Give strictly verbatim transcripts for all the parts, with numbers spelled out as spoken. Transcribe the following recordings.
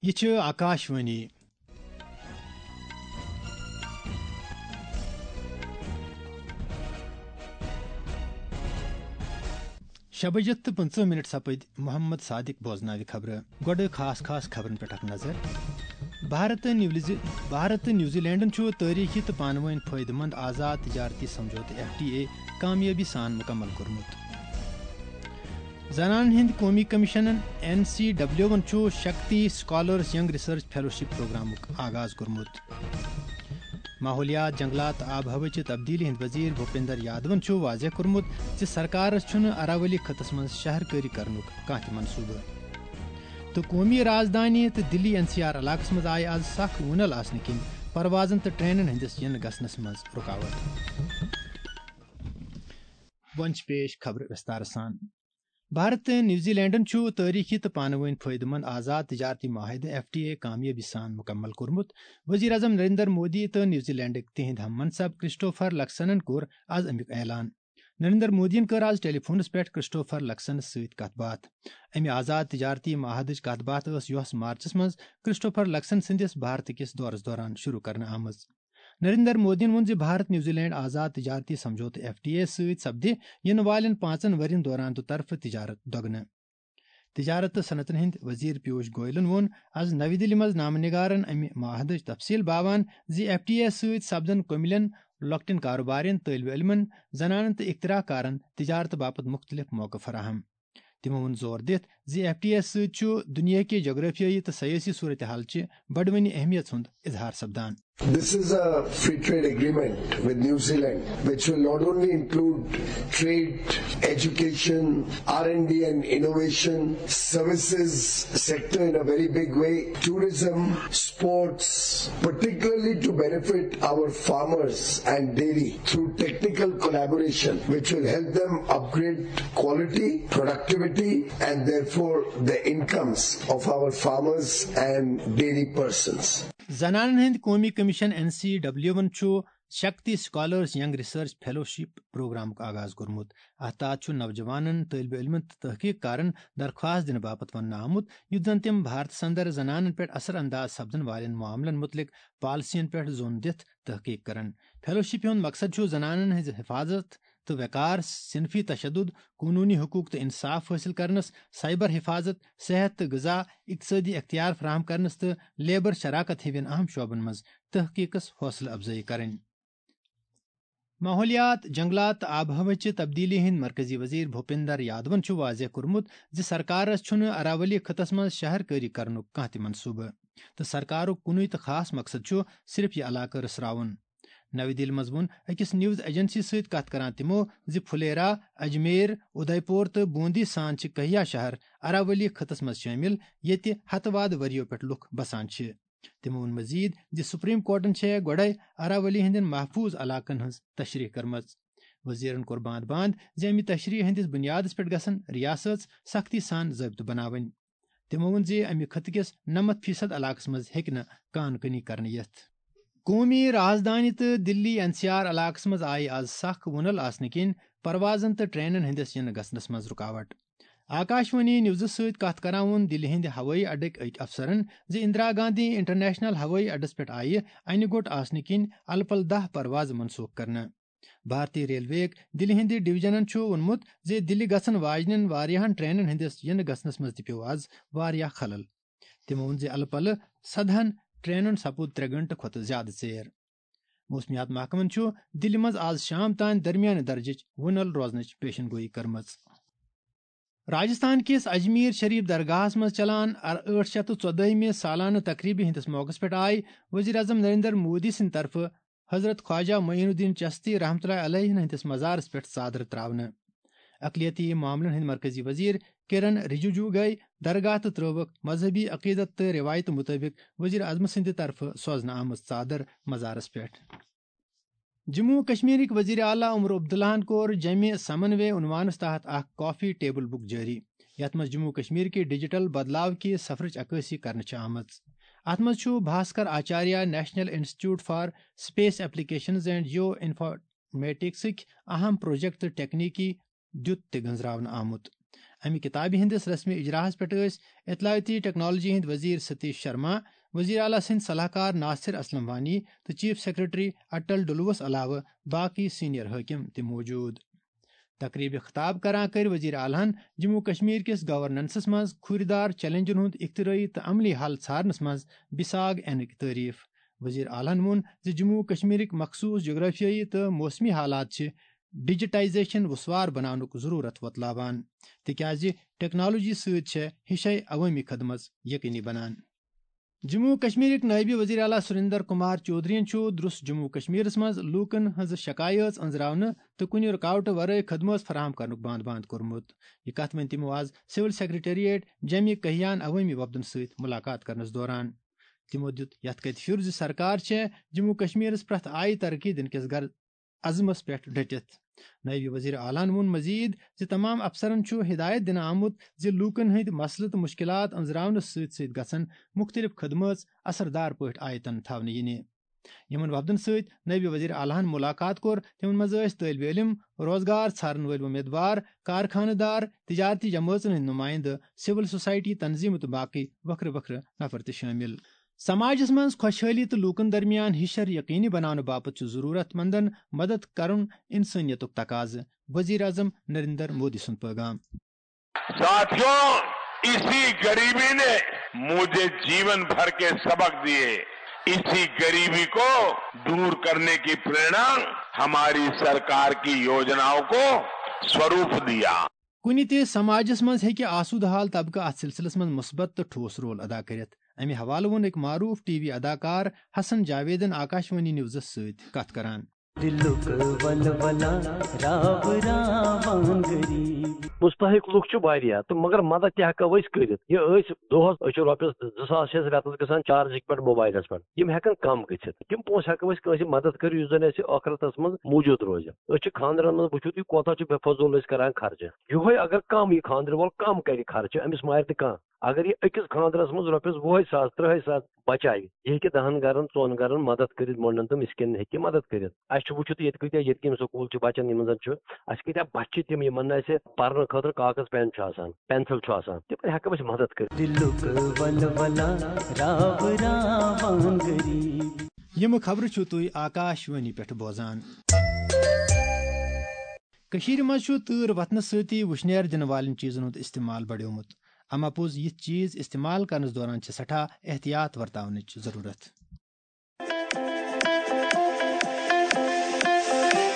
یہِ چھِ آکاشوانی۔ شےٚ بجہِ تہٕ پٕنٛژٕہ مِنٹ سپٕدۍ۔ محمد صادق بوزناوِ خبرٕ۔ گۄڈٕ خاص خاص خبرن پٮ۪ٹھ اکھ نظر۔ بھارت تہٕ نیوزی-، بھارت تہٕ نیوزی لینڈن چھُ تٲریخی تہٕ پانہٕ وٲنۍ فٲیدٕ مند آزاد تجارتی سمجھوتہٕ، ایف ٹی اے، کامیٲبی سان مکمل کوٚرمُت۔ زنانن ہٕنٛدۍ قومی کمیشنن، این سی ڈبلیوون، چھُ Shakti scholars young research fellowship پروگرامُک آغاز کوٚرمُت۔ ماحولیات، جنگلات تہٕ آب و ہوہٕچہِ تبدیلی ہٕنٛدۍ وزیر بھوپیندر یادون چھُ واضح کوٚرمُت زِ سرکارس چھُنہٕ اراولی خطس منٛز شہر کٲری کرنُک کانٛہہ تہِ منصوبہٕ۔ تہٕ قومی رازدانی تہٕ دِلی این سی آر علاقس منٛز آیہِ از سخ وُنل آسنہٕ کِنۍ پروازن تہٕ ٹرینن ہٕنٛدِس یِنہٕ گژھنس منٛز رُکاوٹ۔ وۄنۍ چھِ پیش خبرٕ وِستارٕ سان۔ بھارت تہٕ نیوزی لینڈن چھُ تٲریخی تہٕ پانہٕ وٲنۍ فٲیدٕ مند آزاد تجارتی معاہدٕ، ایف ٹی اے، کامیٲبی سان مکمل کوٚرمُت۔ وزیر اعظم نریندر مودی تہٕ نیوزی لینڈٕکۍ تِہنٛدۍ ہم منصب کرسٹوفر لکسنن کوٚر از امیُک اعلان۔ نریندر مودیَن کٔر از ٹیلی فونس پٮ۪ٹھ کرسٹوفر لکسنس سۭتۍ کتھ باتھ۔ امہِ آزاد تجارتی معاہدٕچ کتھ باتھ ٲس یۄہس مارچس منٛز کرسٹوفر لکسن سٕنٛدِس بھارت کِس دورس دوران شروع کرنہٕ آمٕژ۔ نریندر مودیَن ووٚن زِ بھارت نیوزی لینڈ آزاد تجارتی سمجھوتہٕ، ایف ٹی اے، سۭتۍ سپدِ یِنہٕ والٮ۪ن پانٛژن ؤرین دوران دُطرفہٕ تجارت دۄگنہٕ۔ تجارت تہٕ صنعتن ہٕنٛدۍ وزیر پیوش گوئلن ووٚن از نَوِ دِلہِ منٛز نامہٕ نِگارن امہِ معاہدٕچ تفصیل باوان زِ ایف ٹی اے سۭتۍ سپدن کٔمِلٮ۪ن، لۄکٹٮ۪ن کاروبارٮ۪ن، طٲلبہِ علمن، زنانن تہٕ اختراع کارن تجارت باپتھ مُختٔلِف موقعہٕ فراہم۔ تِمو ووٚن زور دِتھ زِ ایف ٹی اے سۭتۍ چھُ دُنیا کہِ جغرافیٲیی تہٕ سیٲسی صورتحال چہِ بڑوٕنہِ اہمیت ہُنٛد اظہار سپدان۔ This is a free trade agreement with New Zealand, which will not only include trade, education, R and D and innovation, services sector in a very big way, tourism, sports, particularly to benefit our farmers and dairy through technical collaboration, which will help them upgrade quality, productivity, and therefore the incomes of our farmers and dairy persons. زنانن ہٕنٛدۍ قومی کمیشن، N C W ون، چھُ Shakti scholars young research fellowship پروگرامُک آغاز کوٚرمُت۔ اتھ تحت چھُ نوجوانن، طٲلبہِ علمن تہٕ تحقیق کارن درخواست دِنہٕ باپتھ وننہٕ آمُت، یُتھ زن تِم بھارتس اندر زنانن پٮ۪ٹھ اثر انداز سپدن والٮ۪ن معاملن مُتعلق پالیسین پٮ۪ٹھ زون دِتھ تحقیق کرن۔ فیلوشپ ہُنٛد مقصد چھُ زنانن ہٕنٛز حفاظت تہٕ وقار، صنفی تشدد، قونوٗنی حقوق تہٕ انصاف حٲصِل کرنس، سائبر حفاظت، صحت تہٕ غذا، اقتصٲدی اختیار فراہم کرنس تہٕ لیبر شراکت ہِوٮ۪ن اہم شعبن منٛز تحقیقس حوصلہٕ افزٲیی کرٕنۍ۔ ماحولیات، جنگلات تہٕ آب و ہوہٕچہِ تبدیلی ہٕنٛدۍ مرکزی وزیر بھوپیندر یادون چھُ واضح کوٚرمُت زِ سرکارس چھُنہٕ اراولی خطس منٛز شہر کٲری کرنُک کانٛہہ تہِ منصوبہٕ، تہٕ سرکارُک کُنُے تہٕ خاص مقصد چھُ صرف یہِ علاقہٕ رٕژھراوُن۔ نَوِ دِلہِ منٛز ووٚن أکِس نیوز ایجنسی سۭتۍ کتھ کران تِمو زِ پھلیرا، اجمیر، ادے پور تہٕ بوندی سان چھِ کہیا شہر اراولی خطس منٛز شٲمِل، ییٚتہِ ہتہٕ وادٕ ؤرِیو پٮ۪ٹھ لُکھ بسان چھِ۔ تِمو ووٚن مزید زِ سپریم کورٹن چھےٚ گۄڈے اراولی ہٕنٛدٮ۪ن محفوظ علاقن ہٕنٛز تشریح کٔرمٕژ۔ وزیرن کوٚر باند باند زِ امہِ تشریح ہٕنٛدِس بنیادس پٮ۪ٹھ گژھن ریاست سختی سان ضٲبطہٕ بناوٕنۍ۔ تِمو ووٚن زِ امہِ خطہٕ کِس نَمَتھ فیصد علاقس منٛز ہیٚکہِ نہٕ کان کنی کرنہٕ یِتھ۔ قومی رازدانی تہٕ دِلی این سی آر علاقس منٛز آیہِ از سخ وُنل آسنہٕ کِنۍ پروازن تہٕ ٹرینن ہٕنٛدِس یِنہٕ گژھنس منٛز رُکاوٹ۔ آکاشوانی نیوزٕ سۭتۍ کتھ کران ووٚن دِلہِ ہٕنٛدِ ہوٲیی اڈٕکۍ أکۍ افسرن زِ اندرا گاندھی انٹرنیشنل ہوٲیی اڈس پٮ۪ٹھ آیہِ انہِ گوٚٹ آسنہٕ کِنۍ الہٕ پلہٕ دَہ پروازٕ منسوخ کرنہٕ۔ بھارتی ریلوے یٕک دِلہِ ہٕنٛدِ ڈویژنن چھُ ووٚنمُت زِ دِلہِ گژھن واجنٮ۪ن واریاہن ٹرینن ہٕنٛدِس یِنہٕ گژھنس منٛز تہِ پیوٚو از واریاہ خلل۔ تِمو ووٚن زِ الہٕ پلہٕ سدہن ٹرینن سپُد ترٛےٚ گھنٹہٕ کھۄتہٕ زیادٕ ژیر۔ موسمیات محکمن چھُ دِلہِ منٛز از شام تام درمیانہٕ درجٕچ وُنل روزنٕچ پیشن گویی کٔرمٕژ۔ راجستھان کِس اجمیر شریف درگاہس منٛز چلان ٲٹھ شیٚتھ تہٕ ژۄدٲہمہِ سالانہٕ تقریبہِ ہٕنٛدِس موقعس پٮ۪ٹھ آیہِ وزیر اعظم نریندر مودی سٕنٛدِ طرفہٕ حضرت خواجہ معین الدین چشتی رحمتہ اللہ علیہ ہٕنٛدِس مزارس پٮ۪ٹھ ژادرٕ تراونہٕ۔ اقلیتی معاملن ہٕنٛدۍ مرکزی وزیر کرن رجیجو گٔیہِ درگاہ تہٕ ترٲوکھ مذہبی عقیدت تہٕ رٮ۪وایتہٕ مُطٲبِق وزیر اعظم سٕنٛدِ طرفہٕ سوزنہٕ آمٕژ ژادر مزارس پٮ۪ٹھ۔ جموں و کشمیرٕکۍ وزیر اعلیٰ عمر عبداللہن کوٚر جمع سمنوے عنوانس تحت اکھ کافی ٹیبل بک جٲری، یتھ منٛز جموں و کشمیر کہِ ڈیجیٹل بدلاو کہِ سفرٕچ عکٲسی کرنہٕ چھِ آمٕژ۔ اتھ منٛز چھُ Bhaskar Acharya national institute for space applications and geo انفارمیٹکسٕکۍ اہم پروجیکٹ تہٕ ٹیکنیکی دیُت تہِ گنزراونہٕ آمُت۔ امہِ کتابہِ ہٕنٛدِس رسمی اجراہس پٮ۪ٹھ ٲسۍ اطلاعاتی ٹیکنالوجی ہٕنٛدۍ وزیر ستیش شرما، وزیر اعلیٰ سٕنٛدۍ صلاح کار ناصر اسلم وانی تہٕ چیف سیکرٹری اٹل ڈلوس علاوٕ باقی سینئر حٲکم تہِ موجود۔ تقریبہِ خطاب کران کٔرۍ وزیر اعلیٰ ہن جموں کشمیر کِس گورننسس منٛز کھوٗرِ دار چیلنجن ہُنٛد اختراعی تہٕ عملی حل ژھارنس منٛز بِساگ انٕکۍ تعریف۔ وزیر اعلیٰ ہن ووٚن زِ جموں کشمیرٕکۍ مخصوص جغرافیٲیی تہٕ موسمی حالات چھِ ڈیجیٹائزیشن وسوار بناونُک ضرورت وۄتلاوان، تِکیازِ ٹیکنالوجی سۭتۍ چھےٚ ہِشے عوٲمی خدمت یقینی بنان۔ جموں و کشمیرٕکۍ نٲیِب وزیر اعلیٰ سریندر کمار چودھرین چھُ درس جموں و کشمیرس منٛز لوٗکن ہٕنٛز شکایٲژ أنٛزراونہٕ تہٕ کُنہِ رُکاوٹہٕ ورٲے خدمٲژ فراہم کرنُک بانٛد بانٛد کوٚرمُت۔ یہِ کتھ ؤنۍ تِمو آز سول سیکرٹریٹ جمہِ کہیان عوٲمی وفدن سۭتۍ ملاقات کرنس دوران۔ تِمو دیُت یتھ کتھِ پھِیُر زِ سرکار چھےٚ جموں و کشمیرس پرٛٮ۪تھ آیہِ ترقی دِنہٕ کِس غرض عزمس پٮ۪ٹھ ڈٔٹِتھ۔ نٲیِب وزیر اعلیٰ ہن ووٚن مزید زِ تمام افسرن چھُ ہدایت دِنہٕ آمُت زِ لوٗکن ہٕنٛدۍ مسلہٕ تہٕ مُشکلات أنٛزراونس سۭتۍ سۭتۍ گژھن مُختٔلِف خدمٲژ اثردار پٲٹھۍ آیتن تھاونہٕ یِنہِ۔ یِمن وفدن سۭتۍ نٲیِب وزیر اعلیٰ ہن مُلاقات کوٚر، تِمن منٛز ٲسۍ طٲلبہِ علم، روزگار ژھارن وٲلۍ وۄمیدوار، کارخانہٕ دار، تجارتی جمٲژن ہٕنٛدۍ نُمایندٕ، سول سوسائٹی تنظیمہٕ تہٕ باقٕے وکھرٕ وکھرٕ نفر تہِ شٲمِل۔ سماجس منٛز خۄشحٲلی تہٕ لوٗکن درمیان ہِشر یقینی بناونہٕ باپتھ چھُ ضروٗرت مندن مدد کرُن انسٲنیتُک تقاضہٕ، وزیر اعظم نریندر مودی سُنٛد پٲغام۔ साथियों, इसी गरीबी ने मुझे जीवन भर के सबक दिए। इसी गरीबी को दूर करने की प्रेरणा हमारी सरकार की योजनाओं को स्वरूप दिया। کُنہِ تہِ سماجس منٛز ہیٚکہِ آسودٕ حال طبقہٕ اتھ سلسلس منٛز مثبت تہٕ ٹھوس رول ادا کٔرِتھ۔ امہِ حوالہٕ ووٚن أکۍ معروٗف ٹی وی اداکار حسن جاویدن آکاشوانی نیوزس سۭتۍ کتھ کران۔ دلُک ولولہ راو راوان غریب۔ مستحق لُکھ چھِ واریاہ تہٕ مگر مدد تہِ ہٮ۪کو أسۍ کٔرِتھ۔ یہِ أسۍ دۄہس، أسۍ چھِ رۄپیس زٕ ساس چھِ أسۍ رٮ۪تس گژھان چارجِنگ پٮ۪ٹھ موبایلس پٮ۪ٹھ۔ یِم ہٮ۪کن کم گٔژھِتھ۔ تِم پونٛسہٕ ہٮ۪کو أسۍ کٲنٛسہِ مدد کٔرِتھ یُس زن اَسہِ ٲخرتس منٛز موٗجوٗد روزِ۔ أسۍ چھِ خانٛدرن منٛز، وٕچھِو تُہۍ کوتاہ چھُ بے فضوٗل أسۍ کران خرچہٕ۔ یِہوٚے اگر کم یہِ خانٛدرٕ وول کم کرِ خرچہٕ، أمِس مارِ نہٕ کانٛہہ۔ اگر یہِ أکِس خانٛدرس منٛز رۄپیس وُہے ساس، ترٕٛہے ساس بچاوِ، یہِ ہیٚکہِ دَہن گرن، ژۄن گرن مدد کٔرِتھ، مۄنڈن تہٕ مسکیٖنن ہیٚکہِ مدد کٔرِتھ۔ اَسہِ چھُ وٕچھِتھ ییٚتہِ کۭتیٛاہ یتیٖم سکوٗل چھِ بچن، یِمن زن چھُ، اَسہِ کۭتیٛاہ بچہِ چھِ تِم، یِمن نہٕ اَسہِ پرنہٕ خٲطرٕ کاغذ پین چھُ آسان، پینسل چھُ آسان، تِمن ہٮ۪کو أسۍ مدد کٔرِتھ۔ دِلُک ولولہ راو راوان غریب۔ یِم خبرٕ چھِو تُہۍ آکاش وانی پٮ۪ٹھ بوزان۔ کٔشیٖرِ منٛز چھُ تۭر وۄتھنہٕ سۭتی وُشنیر دِنہٕ والٮ۪ن چیٖزن ہُنٛد استعمال بڑیومُت۔ اما پوٚز، یِتھۍ چیٖز استعمال کرنس دوران چھِ سٮ۪ٹھاہ احتیاط ورتاونٕچ ضروٗرت۔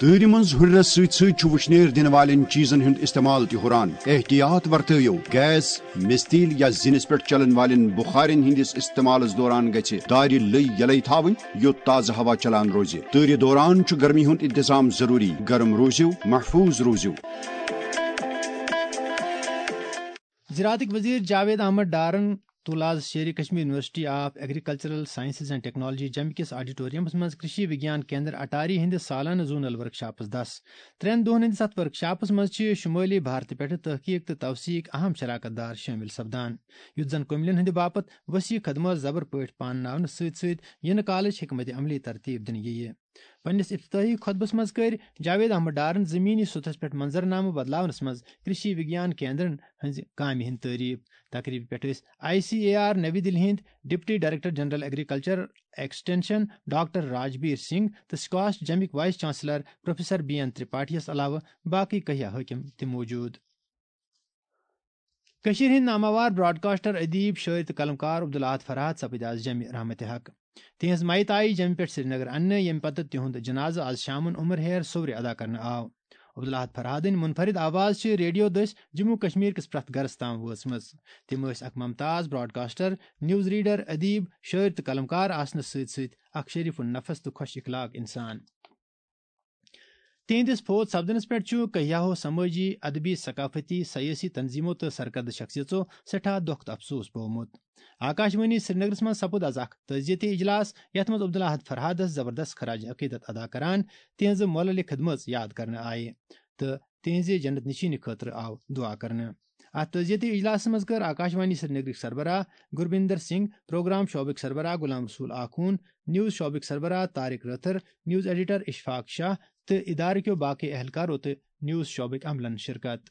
تۭرِ منٛز ہُرٮ۪رس سۭتۍ سۭتۍ چھُ وُشنیر دِنہٕ والٮ۪ن چیٖزن ہُنٛد استعمال تہِ ہُران۔ احتیاط ورتٲیِو، گیس، مِستیٖل یا زِنِس پٮ۪ٹھ چلن والٮ۪ن بُخارٮ۪ن ہٕنٛدِس استعمالس دوران گژھِ دارِ لٔۍ یلے تھاوٕنۍ، یوٚت تازٕ ہوا چلان روزِ۔ تۭرِ دوران چھُ گرمی ہُنٛد انتظام ضروٗری۔ گرم روٗزِو، محفوٗظ روٗزِو۔ زراعتٕکۍ وزیر جاوید احمد ڈارن تُل آز Sheri Kashmir university of agricultural sciences and technology جمہِ کِس آڈیٹورمس منٛز کرشی وگیان کیندر اٹاری ہٕنٛدِس سالانہٕ زونل ورکشاپس دس۔ ترٛٮ۪ن دۄہن ہٕنٛدِس اتھ ورکشاپس منٛز چھِ شمٲلی بھارتہٕ پٮ۪ٹھٕ تحقیق تہٕ توثیق اہم شراکت دار شٲمِل سپدان، یُتھ زن کُمِلٮ۪ن ہٕنٛدِ باپتھ وسیع خدمات زبر پٲٹھۍ پانناونہٕ سۭتۍ سۭتۍ یِنہٕ کالٕچ حکمت عملی ترتیب دِنہٕ یِیہِ۔ پننِس افتتاحی خطبس منٛز کٔرۍ جاوید احمد ڈارن زمینی سطحس پٮ۪ٹھ منظرنامہٕ بدلاونس منٛز کرشی وگیان کیندرن ہٕنٛزِ کامہِ ہٕنٛز تعریف۔ تقریبہِ پٮ۪ٹھ ٲسۍ آئی سی اے آر نَوِ دِلہِ ہٕنٛدۍ deputy director general agriculture extension doctor Rajbir Singh تہٕ سکاسٹ جمِکۍ vice chancellor professor B N ترپاٹھیَس علاوٕ باقٕے کہیا حٲکم تہِ موجود۔ کٔشیٖرِ ہٕنٛدۍ ناماوار براڈکاسٹر، ادیب، شٲعر تہٕ قلمکار عبدالاحد فرحت سپٕدۍ آز جمہِ رحمتِ حق۔ تِہنٛز میت آیہِ جمہِ پٮ۪ٹھ سرینگر اننہٕ، ییٚمہِ پتہٕ تِہُنٛد جنازٕ آز شامن عمر ہیر صورِ ادا کرنہٕ آو۔ عبدالاحد فرحتٕنۍ منفرد آواز چھِ ریڈیو دٔسۍ جموں کشمیر کِس پرٛٮ۪تھ گرس تام وٲژمٕژ۔ تِم ٲسۍ اکھ ممتاز براڈکاسٹر، نیوز ریڈر، ادیب، شٲعر تہٕ قلمکار آسنس سۭتۍ سۭتۍ اکھ شریف النفس تہٕ خۄش اخلاق انسان۔ تِہنٛدِس فوت سپدنس پٮ۪ٹھ چھُ کہیاہو سمٲجی، ادبی، ثقافتی، سیٲسی تنظیمو تہٕ سرکردٕ شخصیژو سٮ۪ٹھاہ دۄکھ تہٕ افسوس بوومُت۔ آکاشوانی سرینگرس منٛز سپُد از اکھ تعزیتی اجلاس، یتھ منٛز عبدالاحد فرحادس زبردست خراج عقیدت ادا کران تِہنٛزٕ مۄللہِ خدمژ یاد کرنہٕ آیہِ تہٕ تِہنٛزِ جنت نشینی خٲطرٕ آو دعا کرنہٕ۔ اتھ تعزیتی اجلاسس منٛز کٔر آکاشوانی سرینگرٕکۍ سربراہ گربیندر سنگھ، پروگرام شعبٕکۍ سربراہ غلام رسول آخون، نیوز شعبٕکۍ سربراہ طارق رٲتھر، نیوز ایڈیٹر اشفاق شاہ تہٕ ادارٕ کیو باقٕے اہلکارو تہٕ نیوز شعبٕکۍ عملن شرکت۔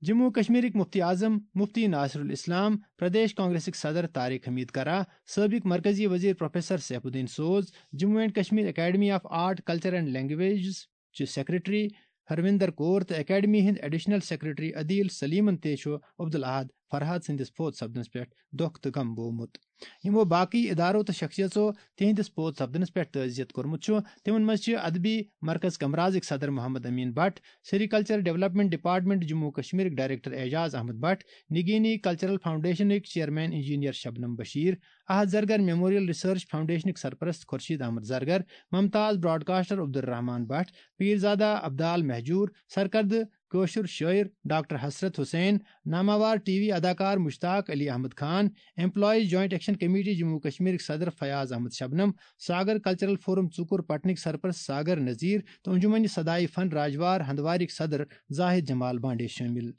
جموں و کشمیرٕکۍ مفتی اعظم مفتی ناصر الاسلام، پردیش کانگریسٕکۍ صدر طارق حمید کرا، سٲبق مرکزی وزیر پروفیسر سیف الدین سوز، Jammu and Kashmir academy of art, culture and languages چہِ سیکرٹری ہروندر کور تہٕ اکیڈمی ہٕنٛدۍ ایڈیشنل سیکرٹری عدیل سلیمن تہِ چھُ عبدالاحد فرحاد سٕنٛدِس فوت سپدنس پٮ۪ٹھ دۄکھ تہٕ غم بوومُت۔ یِمو باقٕے ادارو تہٕ شخصیژو تِہنٛدِس فوت سپدنس پٮ۪ٹھ تعزیت کوٚرمُت چھُ، تِمن منٛز چھِ ادبی مرکز کمرازٕکۍ صدر Mohammad Amin Bhat, sericulture development department Jammu و کشمیرٕکۍ ڈائریکٹر اعجاز احمد بٹ، نگینی کلچرل فاؤنڈیشنٕکۍ chairman engineer Shabnam Bashir, Ahad Zargar memorial research فاؤنڈیشنٕکۍ سرپرست خورشید احمد زرگر، ممتاز براڈکاسٹر عبدالرحمان بٹ، پیرزادہ عبدال مہجور، سرکردٕ کٲشُر شٲعر ڈاکٹر حسرت حسین، ناماوار ٹی وی اداکار Mushtaq Ali Ahmad Khan, employees joint action committee Jammu و کشمیرٕکۍ صدر فیاض احمد شبنم، ساگر کلچرل فورم ژُکُر پٹنٕکۍ سرپرست ساگر نذیر تہٕ انجمن صدائے فن راجوار ہندوارٕکۍ صدر زاہد جمال بانڈے شٲمِل۔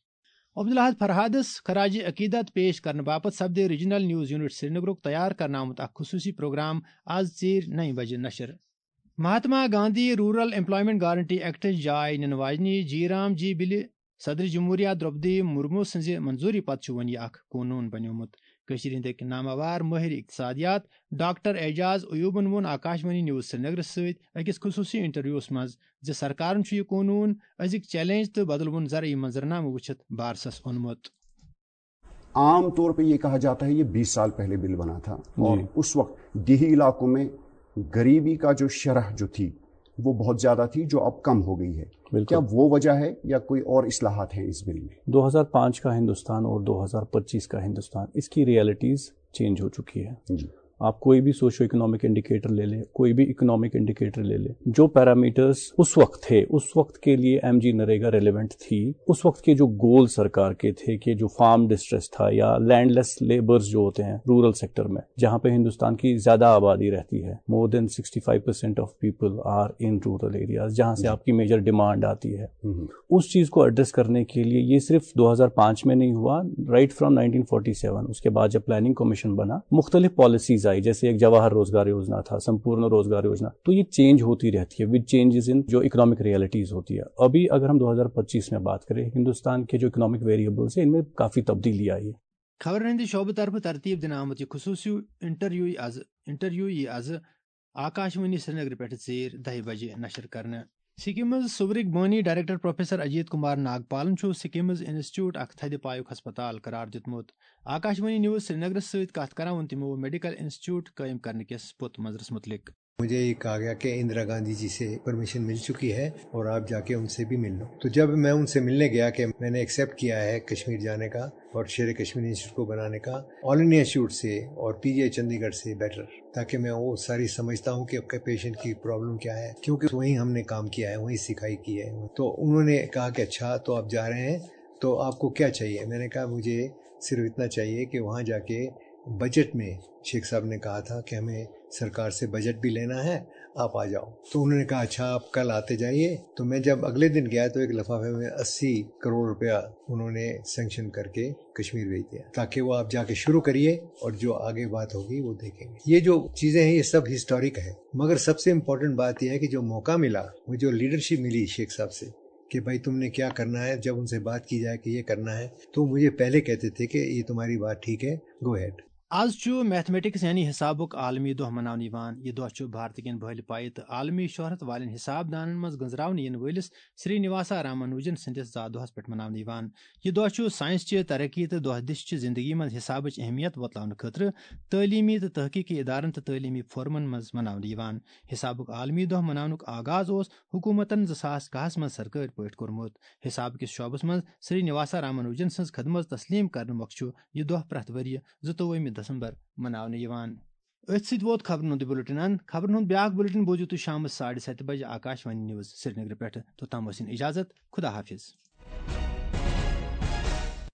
عبدالاحد فرحادس خراج عقیدت پیش کرنہٕ باپتھ سپدِ ریجنل نیوز یونٹ سرینگرُک تیار کرنہٕ آمُت اکھ خصوصی پروگرام آز ژیٖرۍ نَیہِ بجہِ نشر۔ Mahatma Gandhi rural employment guarantee ایکٹٕچ جاے نِنہٕ واجنہِ جی رام جی بلہِ صدر جمہوریہ درٛوپدی مرمو سٕنٛزِ منظوٗری پتہٕ چھُ وۄنۍ یہِ اکھ قونوٗن بنیومُت۔ کٔشیٖرِ ہٕنٛدۍ أکۍ ناماوار مٲہِر اقتصادیات ڈاکٹر اعجاز ایوبن ووٚن آکاشوانی نیوز سرینگرس سۭتۍ أکِس خصوٗصی انٹرویوس منٛز زِ سرکارن چھُ یہِ قونوٗن أزِکۍ چیلنج تہٕ بدلوُن زرعی منظرنامہٕ وٕچھِتھ بارسس اوٚنمُت۔ आम तौर पे ये कहा जाता है, ये बीस साल पहले बिल बना था और उस वक्त देही इलाकों में गरीबी का जो शरह जो थी वो बहुत ज्यादा थी, जो अब कम हो गई है। क्या वो वजह है या कोई और इस्लाहात हैं इस बिल में? दो हज़ार पाँच का हिंदुस्तान और दो हज़ार पच्चीस का हिंदुस्तान, इसकी रियलिटीज चेंज हो चुकी है। आप कोई भी सोशियो इकोनॉमिक इंडिकेटर ले लें, कोई भी इकोनॉमिक इंडिकेटर ले लें, जो पैरामीटर्स उस वक्त थे, उस वक्त के लिए एमजी नरेगा रेलेवेंट थी, उस वक्त के जो गोल सरकार के थे कि जो फार्म डिस्ट्रेस था या लैंडलेस लेबर्स जो होते हैं रूरल सेक्टर में, जहां पे हिंदुस्तान की ज्यादा आबादी रहती है, more than sixty five percent of people are in rural areas, जहां से आपकी मेजर डिमांड आती है, उस चीज को एड्रेस करने के लिए ये सिर्फ दो हज़ार पाँच में नहीं हुआ, right from nineteen forty seven. उसके बाद जब प्लानिंग कमीशन बना, मुख्तलिफ पॉलिसीज आई, जैसे एक जवाहर रोजगार योजना था, संपूर्ण रोजगार योजना। तो ये चेंज होती रहती है विद चेंजेस इन जो इकोनॉमिक रियलिटीज होती है। अभी अगर हम दो हज़ार पच्चीस में बात करें, हिंदुस्तान के जो इकोनॉमिक वेरिएबल्स हैं, इनमें काफी तब्दीली आई है। خبرن ہٕنٛدِ شعبہٕ طرفہٕ ترتیب دِنہٕ آمُت یہِ خصوٗصی انٹرویو یی از انٹرویو یی از آکاشوانی سرینگر پٮ۪ٹھ ژیٖرۍ دَہہِ بجہِ نشر کرنہٕ۔ سکمز صوبرٕکۍ بٲنی ڈائریکٹر پروفیسر اجیت کمار ناگپالن چھُ سکمز انسٹیٹیوٹ اکھ تھدِ پایُک ہسپتال قرار دیُتمُت۔ آکاشوانی نیوز سرینگرس سۭتۍ کتھ کران ووٚن تِمو میڈیکل انسٹیٹیوٹ قٲیِم کرنہٕ کِس پوٚت منظرس متعلق۔ मुझे ये कहा गया कि इंदिरा गांधी जी से परमिशन मिल चुकी है और आप जाके उनसे भी मिल लो। तो जब मैं उनसे मिलने गया कि मैंने एक्सेप्ट किया है कश्मीर जाने का और शेर कश्मीर इंस्टीट्यूट को बनाने का, ऑल इंडिया इंस्टीट्यूट से और पीजीआई चंडीगढ़ से बेटर, ताकि मैं वो सारी समझता हूँ कि आपके पेशेंट की प्रॉब्लम क्या है, क्योंकि वहीं हमने काम किया है, वहीं सिखाई की है। तो उन्होंने कहा कि अच्छा, तो आप जा रहे हैं, तो आपको क्या चाहिए? मैंने कहा, मुझे सिर्फ इतना चाहिए कि वहाँ जाके बजट में, शेख साहब ने कहा था कि हमें सरकार से बजट भी लेना है, आप आ जाओ। तो उन्होंने कहा, अच्छा, आप कल आते जाइए। तो मैं जब अगले दिन गया तो एक लिफाफे में अस्सी करोड़ रुपया उन्होंने सैंक्शन करके कश्मीर भेज दिया, ताकि वो आप जाके शुरू करिए और जो आगे बात होगी वो देखेंगे। ये जो चीजें हैं, ये सब हिस्टोरिक है, मगर सबसे इम्पोर्टेंट बात यह है कि जो मौका मिला, वो जो लीडरशिप मिली शेख साहब से कि भाई, तुमने क्या करना है, जब उनसे बात की जाए कि ये करना है, तो मुझे पहले कहते थे कि ये तुम्हारी बात ठीक है, गो अहेड। از چھُ میتھمیٹکس یعنی حسابُک عالمی دۄہ مناونہٕ یِوان۔ یہِ دۄہ چھُ بھارتہٕ کٮ۪ن بھٲلۍ پایہِ تہٕ عالمی شہرت والٮ۪ن حساب دانن منٛز گٔنزراونہٕ یِنہٕ وٲلِس سری نواسا رامانوجن سٕنٛدِس زا دۄہس پٮ۪ٹھ مناونہٕ یِوان۔ یہِ دۄہ چھُ ساینس چہِ ترقی تہٕ دۄہ دِش چہِ زندگی منٛز حسابٕچ اہمیت وۄتلاونہٕ خٲطرٕ تعلیمی تہٕ تحقیقی ادارن تہٕ تعلیمی فورمن منٛز مناونہٕ یِوان۔ حسابُک عالمی دۄہ مناونُک آغاز اوس حکومتن زٕ ساس کاہس منٛز سرکٲرۍ پٲٹھۍ کوٚرمُت۔ حساب کِس شعبس منٛز سری نواسا رامانوجن سٕنٛز خدمژ تسلیم کرنہٕ مۄکھٕ چھُ یہِ دۄہ پرٛٮ۪تھ ؤرۍ یہِ زٕتووُہمہِ دسمبر مناونہٕ یِوان۔ أتھۍ سۭتۍ ووت خبرن ہُنٛد بُلٹن اند۔ خبرن ہُنٛد بیٛاکھ بُلٹن بوٗزِو تُہۍ شامس ساڑِ ستہِ بجہِ آکاش وانی نیوز سرینگرٕ پٮ۪ٹھٕ۔ توٚتام ٲسِن اجازت۔ خدا حافظ۔